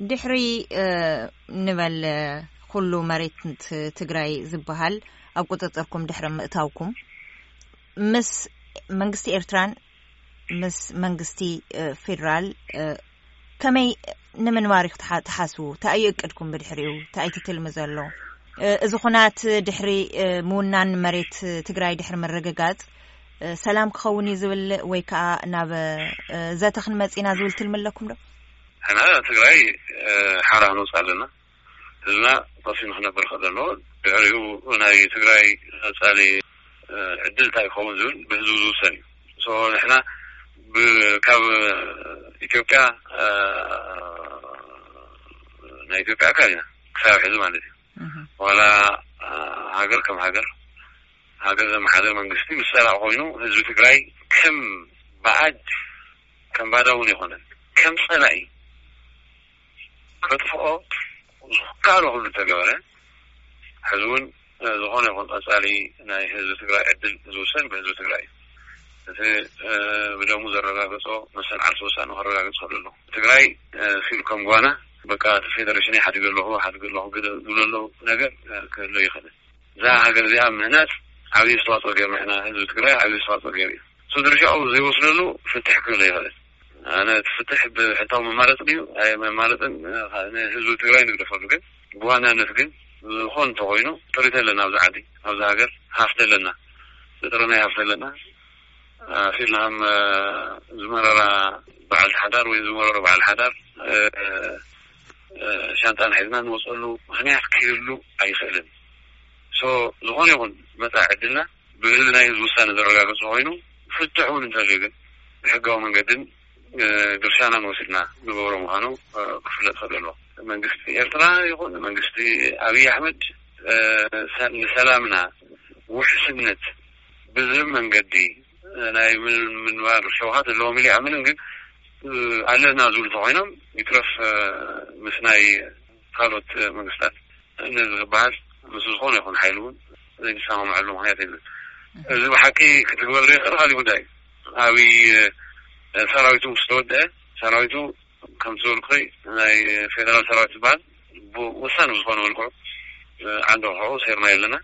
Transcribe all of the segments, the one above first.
ድሕሪ ንበል ኩሉ መሬት ትግራይ ዝበሃል ኣብ ቁፅፅርኩም ድሕሪ ምእታውኩም፣ ምስ መንግስቲ ኤርትራን ምስ መንግስቲ ፌዴራል ከመይ ንምንባር ኢኹ ትሓስቡ? እንታይ እዩ እቅድኩም ብድሕሪኡ? እንታይ እዩ ትልሚ ዘሎ? እዚ ኩናት ድሕሪ ምውናን መሬት ትግራይ ድሕሪ ምርግጋፅ ሰላም ክኸውን እዩ ዝብል ወይ ከዓ ናብ ዘተ ክንመፅ ኢና ዝብል ትልሚ ኣለኩም ዶ? ሕና ትግራይ ሓራ ክንወፅእ ኣለና። ህዝብና ቀሲኑ ክነብር ከለዎ ድሕሪኡ ናይ ትግራይ ቀፃሊ ዕድል እንታይ ይኸውን ዝብል ብህዝቡ ዝውሰን እዩ። ንሕና ካብ ኢትዮጵያ ናይ ኢትዮጵያ ኣካል ኢና ክሳብ ሕዚ ማለት እዩ። ዋላ ሃገር ከም ሃገር፣ ሃገር ዘመሓደር መንግስቲ ምስ ፀላእ ኮይኑ ህዝቢ ትግራይ ከም ባዕድ ከም ባዳ እውን ኣይኮነን፣ ከም ፀላኢ ከጥፍኦ ዝከኣሎ ኩሉ ተገበረ። ሕዚ እውን ዝኾነ ይኹን ቀፃሊ ናይ ህዝቢ ትግራይ ዕድል ዝውሰን ብህዝቢ ትግራይ እዩ። እቲ ብደሙ ዘረጋገፆ መሰል ዓርሱ ውሳነ ከረጋግፅ ከሎ ኣሎ። ትግራይ ሲሉ ከም ጓና በቃ እቲ ፌደሬሽን ሓዲገ ኣለኹ ሓዲገ ኣለኹ ዝብለሉ ነገር ክህሎ ይኽእል። እዛ ሃገር እዚኣ ምህናፅ ዓብዪ ኣስተዋፅኦ ገይርና ኢና። ህዝቢ ትግራይ ዓብዪ ኣስተዋፅኦ ገይሩ እዩ። እሱ ድርሻኡ ዘይወስደሉ ፍትሕ ክህሉ ይኽእል። ኣነ እቲ ፍትሕ ብሕታዊ መማረፂ ድዩ ኣይ መማረፅን ንህዝቢ ትግራይ ንግደፈሉ። ግን ብዋናነት ግን ዝኾን እንተኮይኑ ጥሪት ኣለና ኣብዚ ዓዲ ኣብዚ ሃገር ሃፍቲ ኣለና። ዝጥረናይ ሃፍቲ ኣለና። ፊልና ከም ዝመረራ በዓል ሓዳር ወይ ዝመረሮ በዓል ሓዳር ሻንጣን ሒዝና ንወፀሉ ምክንያት ክህሉ ኣይኽእልን። ዝኾነ ይኹን መፃኢ ዕድልና ብህዝቢ ናይ ህዝቢ ውሳነ ዘረጋገፅ ኮይኑ ፍትሕ እውን እንተልዩ ግን ብሕጋዊ መንገድን ድርሻናን ወሲድና ንገብሮ ምዃኑ ክፍለጥ ከለሎ መንግስቲ ኤርትራ ይኹን መንግስቲ ኣብይ ኣሕመድ ንሰላምና ውሕስነት ብዝህብ መንገዲ ናይ ምንባር ሸውሃት ኣለዎም ኢለ ይኣምንን ግን ኣለና ዝብሉ ተኮይኖም ይትረፍ ምስ ናይ ካልኦት መንግስታት ነዚ ዝበሃል ምስ ዝኾነ ይኹን ሓይሊ እውን ዘይንሰማምዐሉ ምክንያት የለን። እዚ ብሓቂ ክትግበር ዘይኽእል ካሊእ ጉዳይ እዩ። ኣብይ ሰራዊቱ ምስ ተወደአ ሰራዊቱ ከምቲ ዝበልኩ ናይ ፌደራል ሰራዊት ዝበሃል ብወሳኒ ብዝኾነ መልክዑ ዓንዲ ክሕቁ ሰይርና የለና።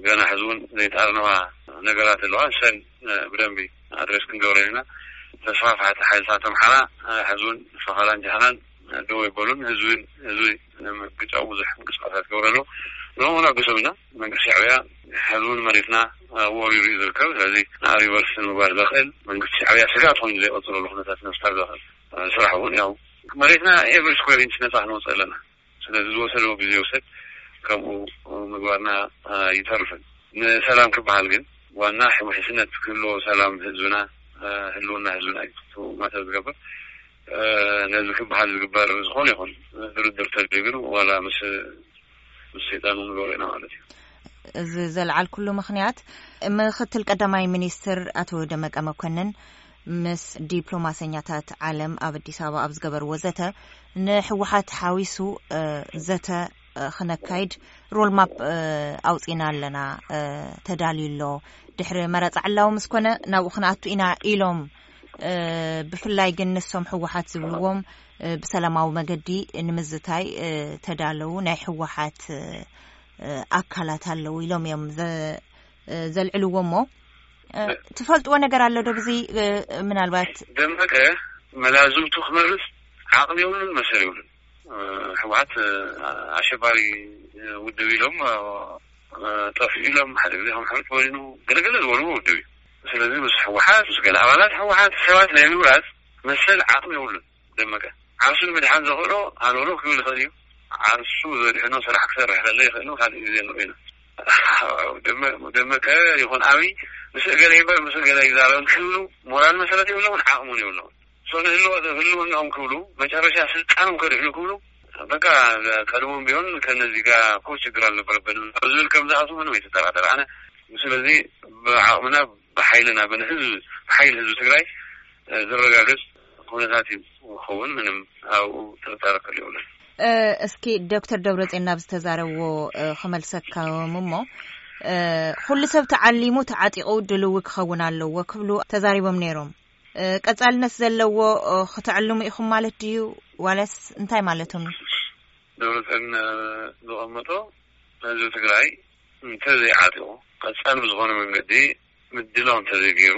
ገና ሕዚ እውን ዘይተኣርነባ ነገራት ኣለዋ። ንሰን ብደንቢ ኣድሬስ ክንገብረን ኢና። ተስፋፍሓቲ ሓይልታት ኣምሓራ ሕዚ እውን ፈኸላን ጃህራን ደው ኣይበሉን። ህዝቢ ህዝቢ ንምግጫው ብዙሕ ምንቅስቃሳት ይገብሩ ኣለዉ። ንዕኡ እውን ኣግሶም ኢና። መንግስቲ ሻዕብያ ሕዚ እውን መሬትና ወሪሩ እዩ ዝርከብ። ስለዚ ንኣብ ዩኒቨርሲቲ ንምግባር ዘኽእል መንግስቲ ሻዕብያ ስጋት ኮይኑ ዘይቀፅለሉ ኩነታት ንምፍጣር ዘኽእል ስራሕ እውን ያው መሬትና ኤቨሪ ስኩዌር ኢንች ነፃ ክንወፅእ ኣለና። ስለዚ ዝወሰድዎ ግዜ ይውሰድ ከምኡ ምግባርና ኣይተርፍን። ንሰላም ክበሃል ግን ዋና ውሕስነት ክህልዎ ሰላም ህዝብና ህልውና ህዝብና እዩ ማተር ዝገብር። ነዚ ክበሃል ዝግበር ዝኾነ ይኹን ድርድር ተድልዩ ግን ዋላ ምስ ምስ ሰይጣን ንገብሮ ኢና ማለት እዩ። እዚ ዘልዓልኩሉ ምኽንያት ምክትል ቀዳማይ ሚኒስትር ኣቶ ደመቀ መኮንን ምስ ዲፕሎማሰኛታት ዓለም ኣብ ኣዲስ ኣበባ ኣብ ዝገበርዎ ዘተ ንህወሓት ሓዊሱ ዘተ ክነካይድ ሮልማፕ ኣውፂና ኣለና ተዳልዩ ኣሎ። ድሕሪ መረፃ ዕላዊ ምስ ኮነ ናብኡ ክንኣቱ ኢና ኢሎም። ብፍላይ ግን ንሶም ህወሓት ዝብልዎም ብሰላማዊ መገዲ ንምዝታይ ተዳለዉ ናይ ህወሓት ኣካላት ኣለዉ ኢሎም እዮም ዘልዕልዎ። እሞ ትፈልጥዎ ነገር ኣሎ ዶ ብዚ? ምናልባት ደመቀ መላዝምቱ ክመርፅ ዓቕሚ የብሉን መሰል የብሉን። ህወሓት ኣሸባሪ ውድብ ኢሎም ጠፊኡ ኢሎም ሓደ ግዜ ከም ሕሉፍ ወይኑ ገለገለ ዝበልዎ ውድብ እዩ። ስለዚ ምስ ህወሓት ምስ ገለ ኣባላት ህወሓት ሰባት ናይ ምምራፅ መሰል ዓቕሚ የብሉን። ደመቀ ዓርሱ ንምድሓን ዘኽእሎ ሃለውለው ክብል ይኽእል እዩ። ዓርሱ ዘድሕኖ ስራሕ ክሰርሕ ከሎ ይኽእል ካልእ ግዜ ንሪኦ ኢና። ደመቀ ይኹን ኣብይ ምስ እገለ ይበር ምስ እገለ ይዛረብን ክብሉ ሞራል መሰረት የብሎምን ዓቕሙን የብሎምን። ንህልውናኦም ክብሉ መጨረሻ ስልጣኖም ከድሕኑ ክብሉ በቃ ቀድሞም ቢሆን ከነዚህ ጋር እኮ ችግር አልነበረብንም ዝብል ከም ዝኣቱ ምንም ኣይትጠራጠር። ኣነ ስለዚ ብዓቕምና ብሓይልና ብንህዝብ ብሓይል ህዝቢ ትግራይ ዝረጋገፅ ኩነታት እዩ ክኸውን ምንም ኣብኡ ጥርጣረ ከል የብሉን። እስኪ ዶክተር ደብረፅዮን ናብ ዝተዛረብዎ ክመልሰካም እሞ ኩሉ ሰብ ተዓሊሙ ተዓጢቑ ድልዊ ክኸውን ኣለዎ ክብሉ ተዛሪቦም ነይሮም። እ፣ ቀጻልነት ዘለዎ፣ እ፣ ክተዕልሙ ኢኹም ማለት ድዩ? ዋላስ እንታይ ማለቶም እዩ? ደብረጽዮን፣ እ፣ ዝቐመጦ ህዝቢ ትግራይ እንተዘይዓጢቑ፣ ቀጻሊ ብዝኾነ መንገዲ ምድላው እንተዘይገይሩ፣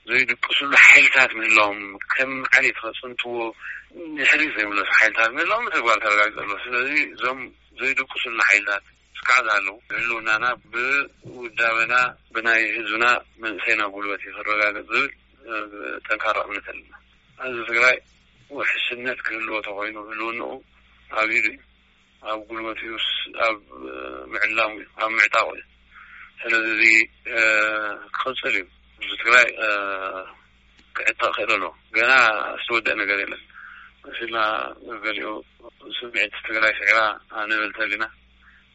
ዘይድቅስሉ ሓይልታት ምህላዎም፣ ከም ዓሌት ከጽንትዎ፣ ንድሕሪት ዘይምለሱ ሓይልታት ምህላዎም ብተግባር ተረጋጊጹ ኣሎ። ስለዚ እዞም ዘይድቅስሉ ሓይልታት እስካዕ ዝሃለዉ፣ ህልውናና ብውዳበና፣ ብናይ ህዝብና መንእሰይና ጉልበት እዩ ክረጋገጽ ዝብል፣ እ፣ ጠንካራ እምነት ኣለና። ህዝቢ ትግራይ ውሕስነት ክህልዎ ተኾይኑ፣ ህልውንኡ ኣብ ኢዱ እዩ። ኣብ ጉልበት እዩስ ኣብ ምዕላሙ እዩ፣ ኣብ ምዕጣቑ እዩ። ስለዚ እዚ፣ እ፣ ክቕጽል እዩ። ህዝቢ ትግራይ፣ እ፣ ክዕጠቕ ክእል ኣለዎ። ገና ዝተወደአ ነገር የለን። መሲልና ገሊኡ ስምዒት ትግራይ ስዒራ ንብል ተሊና።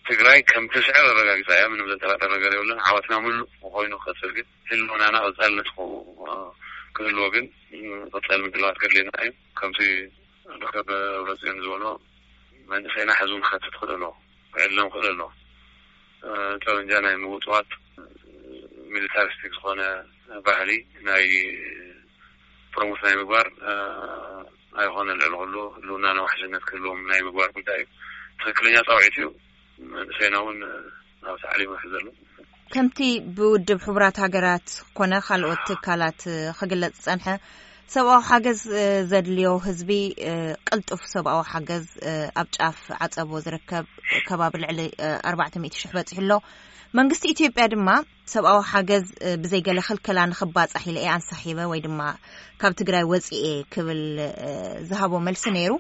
ትግራይ ከም ትስዕር ኣረጋጊጻ እያ። ምንም ዘጠራጥር ነገር የብሉን። ዓወትና ምሉእ ኮይኑ ክቐጽል ግን ህልውናና ቀጻልነት ክህልዎ፣ ክህልዎ ግን ቀጻሊ ምድላዋት ከድልየና እዩ። ከምቲ ዶክተር ደብረጽዮን ዝበሎ መንእሰይና ሕዙ ክኸትት ክእል ኣለዎ፣ ክዕለም ክእል ኣለዎ። እ፣ ጠበንጃ ናይ ምውጥዋጥ፣ ሚሊታሪስቲክ ዝኾነ ባህሊ ናይ ፕሮሞት ናይ ምግባር፣ እ፣ ኣይኾነ ልዕሊ ኩሉ ህልውና ንዋሕስነት ክህልዎም ናይ ምግባር ጉዳይ እዩ። ትኽክለኛ ጻውዒት እዩ። መንእሰይና እውን ኣብ ታዕሊም ይሕዘሉ። ከምቲ ብውድብ ሕቡራት ሃገራት ኮነ ካልኦት ትካላት ክግለጽ ዝጸንሐ፣ ሰብኣዊ ሓገዝ ዘድልዮ ህዝቢ፣ ቅልጡፍ ሰብኣዊ ሓገዝ ኣብ ጫፍ ዓጸቦ ዝርከብ ከባቢ ልዕሊ ኣርባዕተ ሚእቲ ሽሕ በጺሑ ኣሎ። መንግስቲ ኢትዮጵያ ድማ ሰብኣዊ ሓገዝ ብዘይ ገለ ክልከላ ንኽባጻሕ ኢለ እየ ኣንሳሒበ ወይ ድማ ካብ ትግራይ ወጺኤ ክብል ዝሃቦ መልሲ ነይሩ።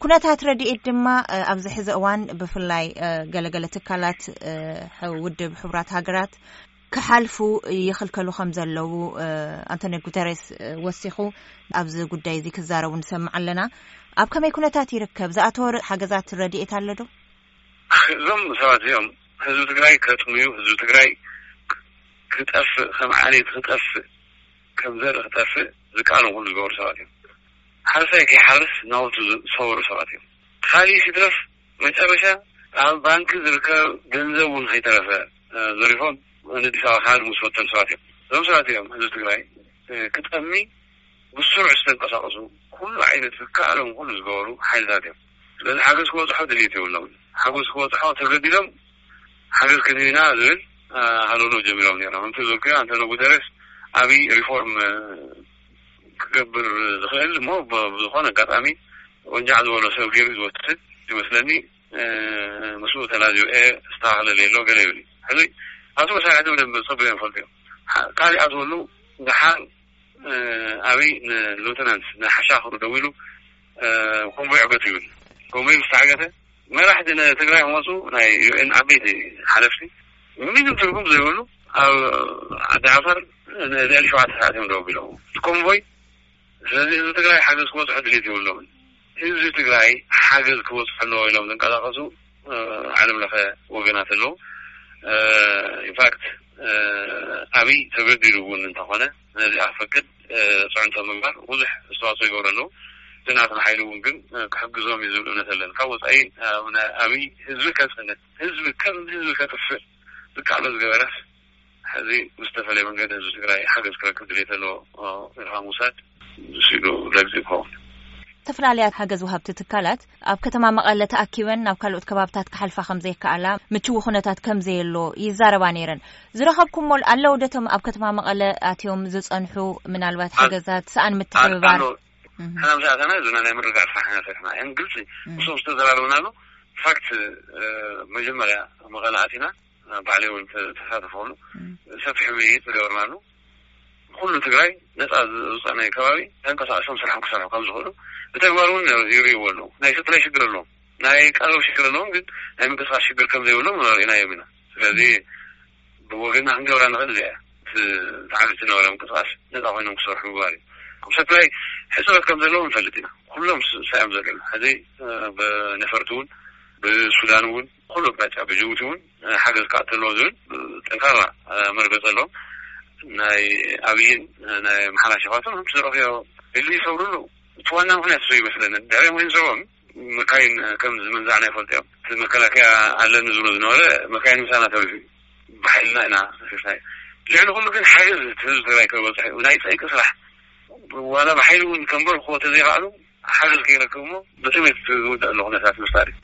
ኩነታት ረድኤት ድማ፣ እ፣ ኣብዚ ሕዚ እዋን ብፍላይ፣ እ፣ ገለገለ ትካላት፣ እ፣ ሕ-፣ ውድብ ሕቡራት ሃገራት ክሓልፉ ይኽልከሉ ከም ዘለዉ፣ እ፣ ኣንቶኒዮ ጉተሬስ፣ እ፣ ወሲኹ ኣብዚ ጉዳይ እዚ ክዛረቡ ንሰምዕ ኣለና። ኣብ ከመይ ኩነታት ይርከብ? ዝኣተወ ር-፣ ሓገዛት ረድኤት ኣሎ ዶ? እዞም ሰባት እዚኦም ህዝቢ ትግራይ ከጥምዩ፣ ህዝቢ ትግራይ ክጠፍእ፣ ከም ዓሌት ክጠፍእ፣ ከም ዘርኢ ክጠፍእ ዝከኣሎም ኩሉ ዝገበሩ ሰባት እዮም። ሓረስታይ ከይሓርስ ናውቱ ዝሰበሩ ሰባት እዮም። ካሊእ ይትረፍ መጨረሻ ኣብ ባንኪ ዝርከብ ገንዘብ እውን ከይተረፈ፣ እ፣ ዘሪፎም ንኣዲስ ኣበባ ክሃድሙ ዝፈተኑ ሰባት እዮም። እዞም ሰባት እዮም ህዝቢ ትግራይ፣ እ፣ ክጠሚ ብስሩዕ ዝተንቀሳቐሱ ኩሉ ዓይነት ዝከኣሎም ኩሉ ዝገበሩ ሓይልታት እዮም። ስለዚ ሓገዝ ክበፅሖ ድልየት የብሎም። ሓገዝ ክበፅሖ ተገዲዶም ሓገዝ ክንህብ ኢና ዝብል፣ እ፣ ሃለውለው ጀሚሮም ነይሮም። ከምቲ ዝበልኩዮ ኣንቶኒዮ ጉተሬስ ዓብዪ ሪፎርም፣ እ፣ ክገብር ዝኽእል እሞ ብ-፣ ብዝኾነ ኣጋጣሚ ወንጃዕ ዝበሎ ሰብ ገይሩ ዝወስድ ይመስለኒ። እ፣ ምስኡ ተላዚበ እየ፣ ዝተኻኸለለይ ኣሎ ገለ ይብል እዩ። ሕዚ ኣቶ መሳርሕቲ ብደንብ ጸቢቖም ይፈልጡ እዮም። ሓ-፣ ካሊእ ኣትወሉ ደሓር፣ እ፣ ኣበይ ንሉተናንት ንሓሻኽሩ ደዊሉ፣ እ፣ ኮንቮይ ዕገቱ ይብል። ኮንቮይ ምስ ተዓገተ መራሕቲ ንትግራይ ክመፁ ናይ ዩ ኤን ዓበይቲ ሓለፍቲ ምንም ትርጉም ዘይብሉ ኣብ ዓዲ ዓፋር ን-፣ ልዕሊ ሸውዓተ ሰዓት እዮም ደው ኣቢሎም እቲ ኮንቮይ። ስለዚ ህዝቢ ትግራይ ሓገዝ ክበፅሖ ድሌት የብሎምን። ህዝቢ ትግራይ ሓገዝ ክበፅሖ ኣለዎ ኢሎም ዝንቀሳቐሱ፣ እ፣ ዓለም ለኸ ወገናት ኣለዉ። እ፣ ኢንፋክት፣ እ፣ ኣብይ ተገዲዱ እውን እንተኾነ ነዚኣ ክፈቅድ፣ እ፣ ፅዕንቶ ምግባር ብዙሕ ኣስተዋፅኦ ይገብሩ ኣለዉ። እቲ ናትና ሓይሊ እውን ግን፣ እ፣ ክሕግዞም እዩ ዝብል እምነት ኣለኒ። ካብ ወፃኢ፣ እ፣ ናይ ኣብይ ህዝቢ ከፅንት፣ ህዝቢ ከም ህዝቢ ከጥፍእ ዝከኣሎ ዝገበረስ፣ ሕዚ ብዝተፈለየ መንገዲ ህዝቢ ትግራይ ሓገዝ ክረክብ ድሌት ኣለዎ ኢልካ ምውሳድ ስኢኑ ለግፂ ይኸውን። ዝተፈላለያ ሓገዝ ወሃብቲ ትካላት ኣብ ከተማ መቐለ ተኣኪበን ናብ ካልኦት ከባብታት ክሓልፋ ከም ዘይከኣላ፣ ምችዊ ኩነታት ከም ዘየሎ ይዛረባ ነይረን። ዝረኸብኩሞ ኣለዉ ዶ እቶም ኣብ ከተማ መቐለ ኣትዮም ዝጸንሑ ምናልባት ኣል-፣ ሓገዛት፣ ሰኣን ኣል-፣ ምትሕብባር? ኣሎ። እህ። ሕና ምስ ኣተና ህዝብና ናይ ምርግጋእ ስራሕ ኢና ሰሪሕና። እን ግልፂ እህ። ምስኦም ዝተዘራረብናሉ ፋክት፣ እ፣ መጀመርያ መቐለ ኣቲና፣ ባዕለይ እውን ተ-፣ ተሳተፈሉ። እም። ሰፊሕ ውይይት ዝገበርናሉ። ኩሉ ትግራይ ነፃ ዝ-፣ ዝውፃእ ናይ ከባቢ ተንቀሳቒሶም ስርሖም ክሰርሑ ከም ዝኽእሉ ብተግባር እውን ይርእይዎ ኣለዉ። ናይ ሰፕላይ ሽግር ኣለዎም፣ ናይ ቀረብ ሽግር ኣለዎም፣ ግን ናይ ምንቅስቃስ ሽግር ከም ዘይብሎም ርኢናዮም ኢና። ስለዚ ብወገንና ክንገብራ ንኽእል እዚኣ እያ። እቲ ዝዓቢ ዝነበረ ምንቅስቃስ ነፃ ኮይኖም ክሰርሑ ምግባር እዩ። ሰፕላይ ሕፅረት ከም ዘለዎም ንፈልጥ ኢና። ኩሎም ስ-፣ ሳዮም ዘለዉ። ሕዚ፣ እ፣ ብነፈርቲ እውን፣ ብሱዳን እውን፣ ኩሉ ኣቅጣጫ ብጅቡቲ እውን፣ እ፣ ሓገዝ ክኣቱ ኣለዎ ዝብል፣ እ፣ ጠንካራ፣ እ፣ መርገፂ ኣለዎም። ናይ ኣብይን፣ እ፣ ናይ ኣምሓራ ሸፋቱን ከም ዝረኽብዮ ድልድል ይሰብሩሉ። እቲ ዋና ምኽንያት እሱ ይመስለኒ። ድሕሪ ሞይን ሰብኦም መካይን ከም ዝምንዛዕና ይፈልጡ እዮም። እቲ መከላከያ ኣለኒ ዝብሎ ዝነበረ መካይን ምሳና ተሪፉ እዩ። ብሓይልና ኢና ሰፊፍናዮ። ልዕሊ ኩሉ ግን ሓገዝ ህዝቢ ትግራይ ከይበፅሕ እዩ። ናይ ፀይቂ ስራሕ ዋላ ብሓይሊ እውን ከንበርክዎ ተዘይኸኣሉ፣ ሓገዝ ከይረክቡ እሞ ብጥሜት ዝውዳእ ዘሎ ኩነታት ምፍጣር እዩ።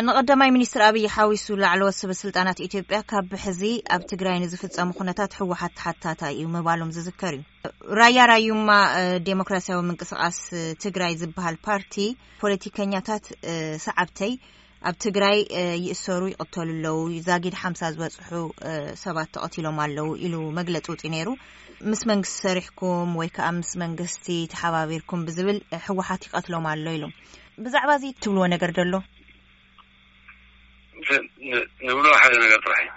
ንቀዳማይ ሚኒስትር ኣብይ ሓዊሱ ላዕለዎት ሰበ ስልጣናት ኢትዮጵያ ካብ ሕዚ ኣብ ትግራይ ንዝፍጸሙ ኩነታት ህወሓት ተሓታታይ እዩ ምባሎም ዝዝከር እዩ። ራያ ራዩማ ዴሞክራሲያዊ ምንቅስቃስ ትግራይ ዝበሃል ፓርቲ ፖለቲከኛታት ሰዓብተይ ኣብ ትግራይ ይእሰሩ ይቕተሉ ኣለዉ፣ ዛጊድ ሓምሳ ዝበጽሑ ሰባት ተቐቲሎም ኣለዉ ኢሉ መግለጺ ውጺ ነይሩ። ምስ መንግስቲ ሰሪሕኩም ወይ ከዓ ምስ መንግስቲ ተሓባቢርኩም ብዝብል ህወሓት ይቐትሎም ኣሎ ኢሉ። ብዛዕባ እዚ ትብልዎ ነገር ደሎ? ንብሎ ሓደ ነገር ጥራሕ እዩ።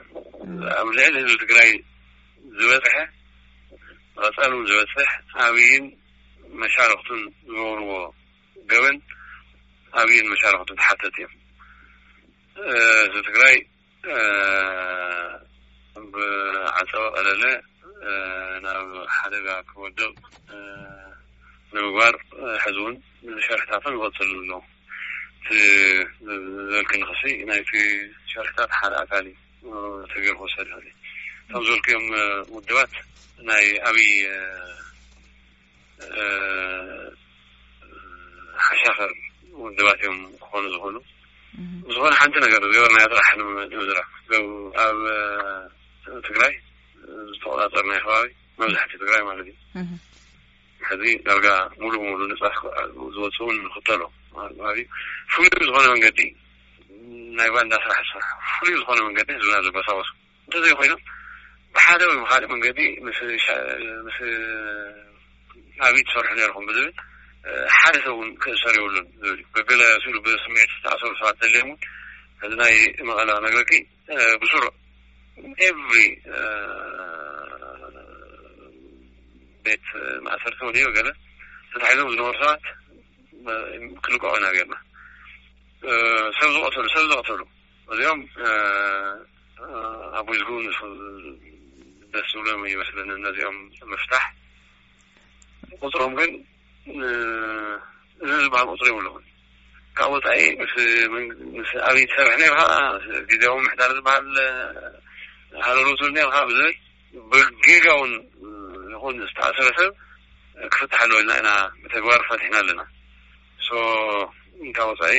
ኣብ ልዕሊ ህዝቢ ትግራይ ዝበፅሐ፣ ቀፃሉ ዝበፅሕ ኣብይን መሻርክቱን ዝገብርዎ ገበን ኣብይን መሻርክቱን ተሓተት እዮም። ህዝቢ ትግራይ ብዓፀወ ቀለለ ናብ ሓደጋ ክወድቕ ንምግባር ሕዚ እውን ሸርሕታቶም ይቐፅሉ ኣለዉ። እቲ ዘልክኒ ክሲ ናይቲ ሸርሕታት ሓደ ኣካል እዩ ተገይሩ ክወሰድ ይኽእል እዩ። እቶም ዝበልክዮም ውድባት ናይ ኣብይ ሓሻኸር ውድባት እዮም ክኾኑ ዝኽእሉ። ዝኾነ ሓንቲ ነገር ዝገበርናዮ ጥራሕ ንምዝራብ ኣብ ትግራይ ዝተቆፃፀርናዮ ከባቢ መብዛሕትኡ ትግራይ ማለት እዩ። ሕዚ ዳርጋ ሙሉ ሙሉ ንፃ ዝወፅኡ ንኽተሎ ማለት እዩ። ፍሉይ ዝኾነ መንገዲ ናይ ባንዳ ስራሕ ዝሰርሑ ፍሉይ ዝኾነ መንገዲ ህዝብና ዘበሳወሱ እንተዘይኮይኖም ብሓደ ወይ ብካሊእ መንገዲ ምስ ኣብይ ትሰርሑ ነርኩም ብዝብል ሓደ ሰብ እውን ክእሰር የብሉን ዝብል እዩ። ገገለ ስሉ ብስምዒት ዝተኣሰሩ ሰባት ተለዮም እውን እዚ ናይ መቐለ ክነግረኪ ብስሩዕ ኤቭሪ ቤት ማእሰርቲ ወዲዮ ገለ ተታሒዞም ዝነበሩ ሰባት ክልቀቑ ኢና ጌርና። ሰብ ዝቐተሉ ሰብ ዘቐተሉ እዚኦም ኣቦይ ዝግቡ ደስ ዝብሎም ይመስለኒ ነዚኦም ምፍታሕ። ቁፅሮም ግን እዚ ዝበሃል ቁፅሪ የብሎምን። ካብ ወፃኢ ምስ ኣብይ ትሰርሕ ነርካ፣ ግዜያዊ ምሕዳር ዝበሃል ሃለሎ ትብል ነርካ ብዝብል ብጌጋ እውን ይኹን ዝተኣሰረ ሰብ ክፍታሕ ኣለዎ ኢልና ኢና ብተግባር ፈቲሕና ኣለና። ሶ ካብ ወፃኢ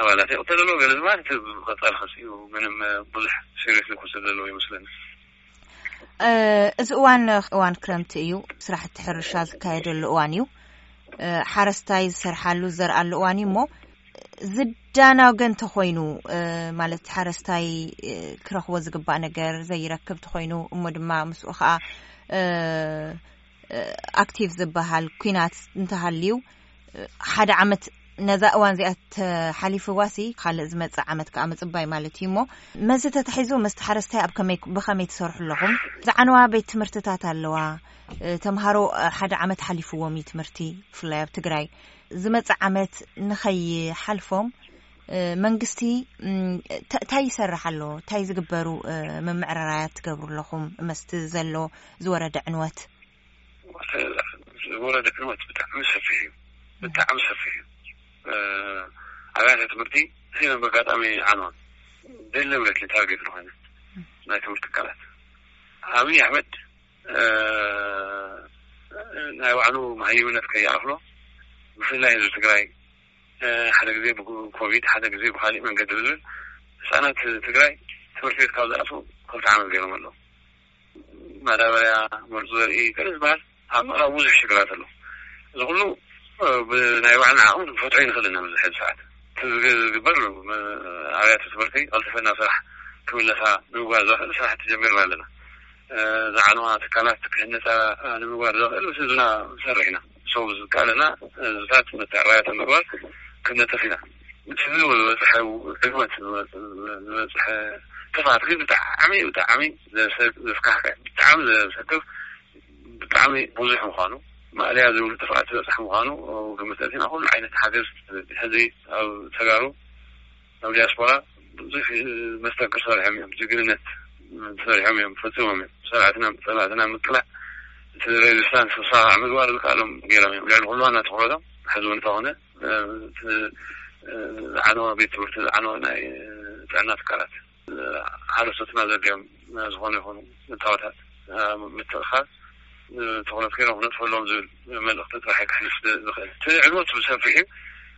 ኣባላት ይቕተል ኣለዎ ገለ ዝበሃል እቲ ቀፃሊ ክሲ እዩ። ምንም ብዙሕ ሲሪየስ ክወሰድ ዘለዎ ይመስለኒ። እዚ እዋን እዋን ክረምቲ እዩ። ስራሕቲ ሕርሻ ዝካየደሉ እዋን እዩ። ሓረስታይ ዝሰርሓሉ ዝዘርኣሉ እዋን እዩ እሞ ዝዳናገ እንተኾይኑ ማለት ሓረስታይ ክረኽቦ ዝግባእ ነገር ዘይረክብ ተኾይኑ እሞ ድማ ምስኡ ከዓ ኣክቲቭ ዝበሃል ኩናት እንተሃልዩ ሓደ ዓመት ነዛ እዋን እዚኣ ተሓሊፍዋሲ ካልእ ዝመፅእ ዓመት ከዓ ምፅባይ ማለት እዩ እሞ መዚ ተታሒዙ መስቲ ሓረስታይ ኣብ ከመይ ብኸመይ ትሰርሑ ኣለኹም? ዝዓነዋ ቤት ትምህርትታት ኣለዋ። ተምሃሮ ሓደ ዓመት ሓሊፍዎም እዩ ትምህርቲ ብፍላይ ኣብ ትግራይ። ዝመፅእ ዓመት ንኸይሓልፎም መንግስቲ እንታይ ይሰርሕ ኣሎ? እንታይ ዝግበሩ ምምዕራራያት ትገብሩ ኣለኹም መስቲ ዘሎ ዝወረደ ዕንወት? ዝወረደ ዕንወት ብጣዕሚ ሰፊሕ እዩ። ብጣዕሚ ሰፊሕ እዩ። ኣብያተ ትምህርቲ እዚን በጋጣሚ ዓንዋ ደለብለት ታርጌት ዝኾነ ናይ ትምህርቲ ትካላት ኣብይ ኣሕመድ ናይ ባዕሉ መሃይምነት ከይኣኽሎ ብፍላይ ህዝቢ ትግራይ ሓደ ግዜ ብኮቪድ ሓደ ግዜ ብካሊእ መንገዲ ዝብል ህፃናት ትግራይ ትምህርቲ ቤት ካብ ዝኣትዉ ክልተ ዓመት ገይሮም ኣለዉ። ማዳበርያ፣ መርዙ ዘርኢ ገለ ዝበሃል ኣብ ምዕራብ ብዙሕ ሽግራት ኣሎ። እዚ ኩሉ ብናይ ባዕልና ዓቕሚ ንፈትሖ ይንኽእል ኢና ኣብዚ ሕዚ ሰዓት። እቲ ዝግ- ዝግበር ኣብያተ ትምህርቲ ቀልጢፈ ናብ ስራሕ ክምለሳ ንምግባር ዘኽእል ስራሕቲ ጀሚርና ኣለና። ዝዓነዋ ትካላት ክህነፃ ንምግባር ዘኽእል ምስ ህዝብና ንሰርሕ ኢና። ሰው ዝከኣለና ህዝብታት መተዕራያተ ምግባር ክንነጥፍ ኢና። እቲ ዝበፅሐ ዕግመት ዝበፅሐ ጥፍኣት ግን ብጣዕሚ ብጣዕሚ ዘስካሕከ ብጣዕሚ ዘሰክፍ ብጣዕሚ ብዙሕ ምዃኑ ማእለያ ዝብሉ ጥፍኣት ዝበፅሐ ምዃኑ ግምት ኣእቲና ኩሉ ዓይነት ሓገዝ ሕዚ ኣብ ተጋሩ ኣብ ዲያስፖራ ብዙሕ መስተንክር ሰሪሖም እዮም። ጅግንነት ሰሪሖም እዮም፣ ፈፂሞም እዮም። ሰራዕትና ፀላእትና ምቅላዕ እቲ ሬዚስታንስ ክሳዕ ምግባር ዝከኣሎም ገይሮም እዮም። ልዕሊ ኩሉ ዋና ትኩረቶም ሕዚ እውን እንተኾነ ዝዓነወ ቤት ትምህርቲ ዝዓነወ ናይ ጥዕና ትካላት ሓረስቶትና ዘድልዮም ዝኾነ ይኹኑ እታወታት ምትእኻብ ትኹረት ገይሮም ክነጥፈሎም ዝብል መልእኽቲ ጥራሕ ክሕልፍ ዝኽእል። እቲ ዕንወት ብሰፊሑ፣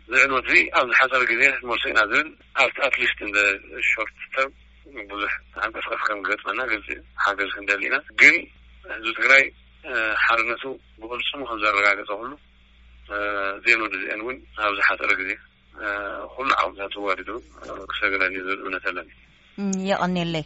እዚ ዕንወት እዚ ኣብዚ ሓፂር ግዜ ክትመልሶ ኢና ዝብል ኣብቲ ኣትሊስት እንደ ሾርት ተርም ብዙሕ ተንቀስቀስ ከም ገጥመና ግልፂ ሓገዝ ክንደሊ ኢና። ግን ህዝቢ ትግራይ ሓርነቱ ብቕልፅሙ ከም ዘረጋገፀ ኩሉ ዜን ወዲ ዜን እውን ኣብዚ ሓፀረ ግዜ ኩሉ ዓቕምታት ተዋዲዱ ክሰግረን እዩ ዝብል እምነት ኣለኒ። የቐኔለይ።